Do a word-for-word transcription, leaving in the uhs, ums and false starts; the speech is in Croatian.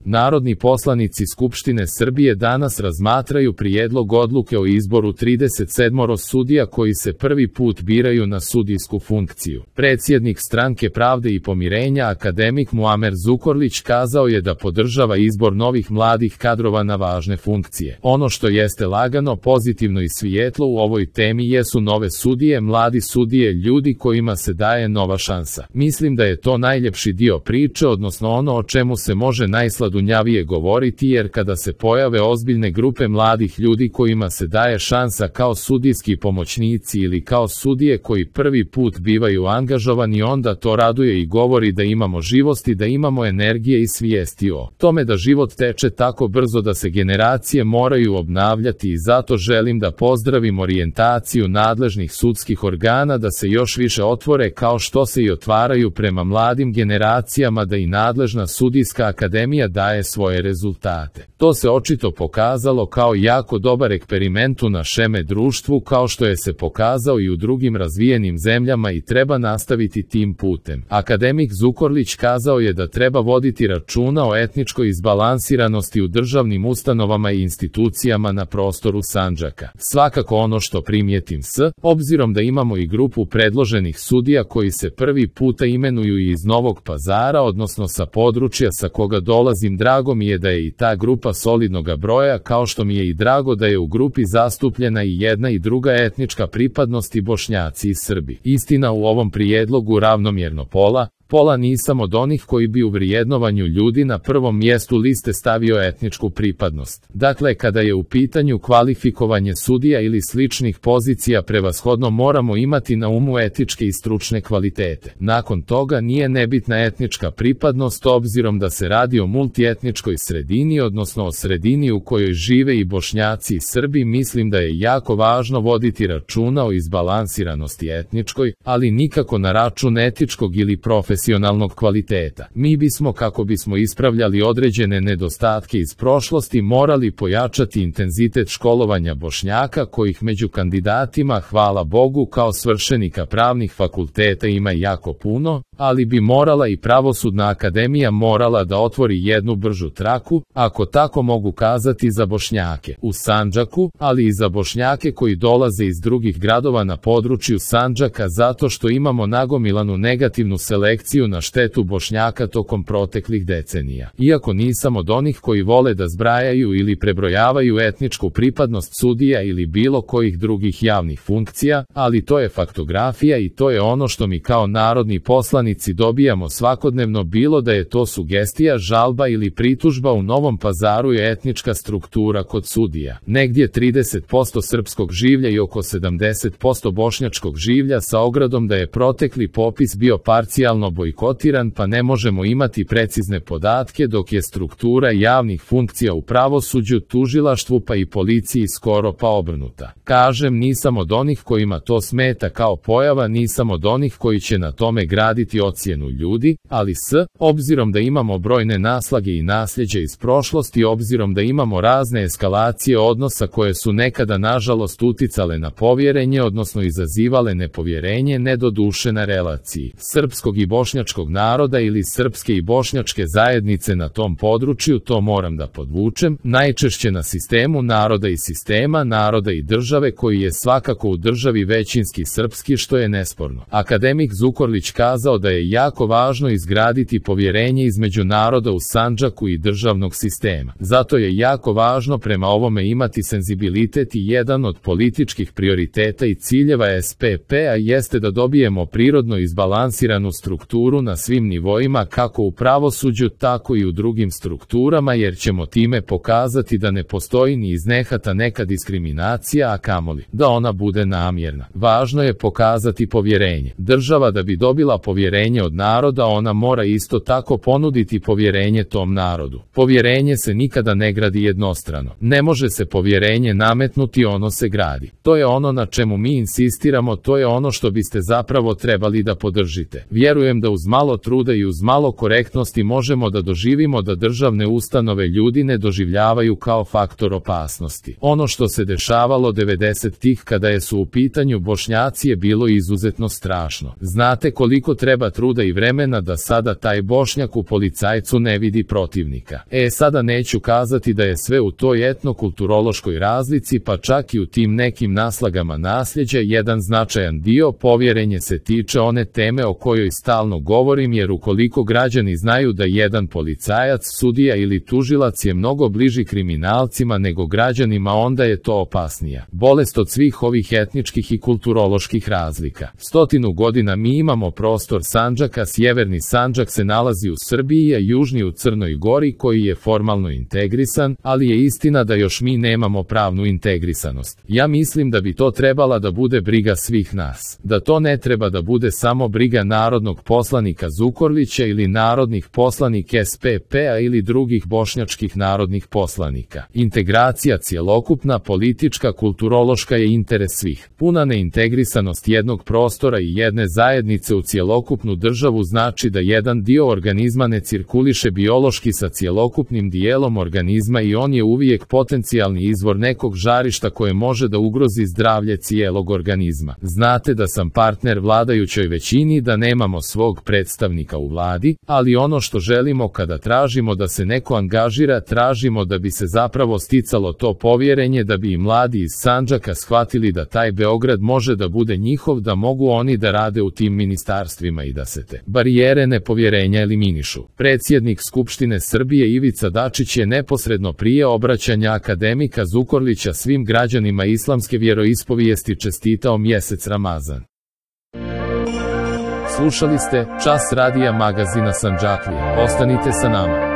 Narodni poslanici Skupštine Srbije danas razmatraju prijedlog odluke o izboru trideset sedam sudija koji se prvi put biraju na sudijsku funkciju. Predsjednik Stranke pravde i pomirenja akademik Muamer Zukorlić kazao je da podržava izbor novih mladih kadrova na važne funkcije. Ono što jeste lagano, pozitivno i svijetlo u ovoj temi jesu nove sudije, mladi sudije, ljudi kojima se daje nova šansa. Mislim da je to najljepši dio priče, odnosno ono o čemu se može najsladunjavije govoriti, jer kada se pojave ozbiljne grupe mladih ljudi kojima se daje šansa kao sudijski pomoćnici ili kao sudije koji prvi put bivaju angažovani, onda to raduje i govori da imamo živosti, da imamo energije i svijesti o tome da život teče tako brzo da se generacije moraju obnavljati, i zato želim da pozdravim orijentaciju nadležnih sudskih organa da se još više otvore kao što se i otvaraju prema mladim generacijama, da i nadležna sudijska akademija daje svoje rezultate. To se očito pokazalo kao jako dobar eksperiment u našeme društvu, kao što je se pokazao i u drugim razvijenim zemljama, i treba nastaviti tim putem. Akademik Zukorlić kazao je da treba voditi računa o etničkoj izbalansiranosti u državnim ustanovama i institucijama na prostoru Sandžaka. Svakako ono što primijetim s obzirom da imamo i grupu predloženih sudija koji se prvi puta imenuju i iz Novog Pazara, odnosno sa područja sa koga dolazim, drago mi je da je i ta grupa solidnoga broja, kao što mi je i drago da je u grupi zastupljena i jedna i druga etnička pripadnost, i Bošnjaci i Srbi. Istina, u ovom prijedlogu ravnomjerno pola, pola nisam od onih koji bi u vrijednovanju ljudi na prvom mjestu liste stavio etničku pripadnost. Dakle, kada je u pitanju kvalifikovanje sudija ili sličnih pozicija, prevashodno moramo imati na umu etičke i stručne kvalitete. Nakon toga nije nebitna etnička pripadnost, obzirom da se radi o multietničkoj sredini, odnosno o sredini u kojoj žive i Bošnjaci i Srbi. Mislim da je jako važno voditi računa o izbalansiranosti etničkoj, ali nikako na račun etičkog ili profesionalnog profesionalnog kvaliteta. Mi bismo, kako bismo ispravljali određene nedostatke iz prošlosti, morali pojačati intenzitet školovanja Bošnjaka, kojih među kandidatima, hvala Bogu, kao svršenika pravnih fakulteta ima jako puno, ali bi morala i Pravosudna akademija morala da otvori jednu bržu traku, ako tako mogu kazati, za Bošnjake u Sandžaku, ali i za Bošnjake koji dolaze iz drugih gradova na području Sandžaka, zato što imamo nagomilanu negativnu selekciju na štetu Bošnjaka tokom proteklih decenija. Iako nisam od onih koji vole da zbrajaju ili prebrojavaju etničku pripadnost sudija ili bilo kojih drugih javnih funkcija, ali to je faktografija i to je ono što mi kao narodni poslanici dobijamo svakodnevno, bilo da je to sugestija, žalba ili pritužba. U Novom Pazaru je etnička struktura kod sudija negdje trideset posto srpskog življa i oko sedamdeset posto bošnjačkog življa, sa ogradom da je protekli popis bio parcijalno bojkotiran, pa ne možemo imati precizne podatke, dok je struktura javnih funkcija u pravosuđu, tužilaštvu pa i policiji skoro pa obrnuta. Kažem, nisam od onih kojima to smeta kao pojava, nisam od onih koji će na tome graditi ocjenu ljudi, ali s obzirom da imamo brojne naslage i nasljeđe iz prošlosti, obzirom da imamo razne eskalacije odnosa koje su nekada nažalost uticale na povjerenje, odnosno izazivale nepovjerenje, ne doduše na relaciji srpskog i bošnjačkog naroda ili srpske i bošnjačke zajednice na tom području, to moram da podvučem, najčešće na sistemu naroda i sistema naroda i države, koji je svakako u državi većinski srpski, što je nesporno. Akademik Zukorlić kazao da je jako važno izgraditi povjerenje između naroda u Sandžaku i državnog sistema. Zato je jako važno prema ovome imati senzibilitet, i jedan od političkih prioriteta i ciljeva S P P-a jeste da dobijemo prirodno izbalansiranu strukturu na svim nivoima, kako u pravosuđu, tako i u drugim strukturama, jer ćemo time pokazati da ne postoji ni iz nehata neka diskriminacija, a kamoli da ona bude namjerna. Važno je pokazati povjerenje. Država da bi dobila povjerenje od naroda, ona mora isto tako ponuditi povjerenje tom narodu. Povjerenje se nikada ne gradi jednostrano. Ne može se povjerenje nametnuti, ono se gradi. To je ono na čemu mi insistiramo, to je ono što biste zapravo trebali da podržite. Vjerujem da uz malo truda i uz malo korektnosti možemo da doživimo da državne ustanove ljudi ne doživljavaju kao faktor opasnosti. Ono što se dešavalo devedesetih kada je su u pitanju Bošnjaci je bilo izuzetno strašno. Znate koliko treba truda i vremena da sada taj Bošnjak u policajcu ne vidi protivnika. E sada neću kazati da je sve u toj etnokulturološkoj razlici, pa čak i u tim nekim naslagama nasljeđa. Jedan značajan dio povjerenje se tiče one teme o kojoj stalno govorim, jer ukoliko građani znaju da jedan policajac, sudija ili tužilac je mnogo bliži kriminalcima nego građanima, onda je to opasnija bolest od svih ovih etničkih i kulturoloških razlika. Stotinu godina mi imamo prostor Sandžaka, sjeverni Sandžak se nalazi u Srbiji, a južni u Crnoj Gori koji je formalno integrisan, ali je istina da još mi nemamo pravnu integrisanost. Ja mislim da bi to trebala da bude briga svih nas. Da to ne treba da bude samo briga narodnog poslanika Zukorlića ili narodnih poslanika S P P-a ili drugih bošnjačkih narodnih poslanika. Integracija cjelokupna, politička, kulturološka je interes svih. Puna neintegrisanost jednog prostora i jedne zajednice u cjelokupnu državu znači da jedan dio organizma ne cirkuliše biološki sa cjelokupnim dijelom organizma i on je uvijek potencijalni izvor nekog žarišta koje može da ugrozi zdravlje cijelog organizma. Znate da sam partner vladajućoj većini, da nemamo svog predstavnika u vladi, ali ono što želimo kada tražimo da se neko angažira, tražimo da bi se zapravo sticalo to povjerenje, da bi i mladi iz Sandžaka shvatili da taj Beograd može da bude njihov, da mogu oni da rade u tim ministarstvima i da se te barijere nepovjerenja eliminišu. Predsjednik Skupštine Srbije Ivica Dačić je neposredno prije obraćanja akademika Zukorlića svim građanima islamske vjeroispovijesti čestitao mjesec Ramazan. Slušali ste Čas radija magazina Sandžaklija. Ostanite sa nama.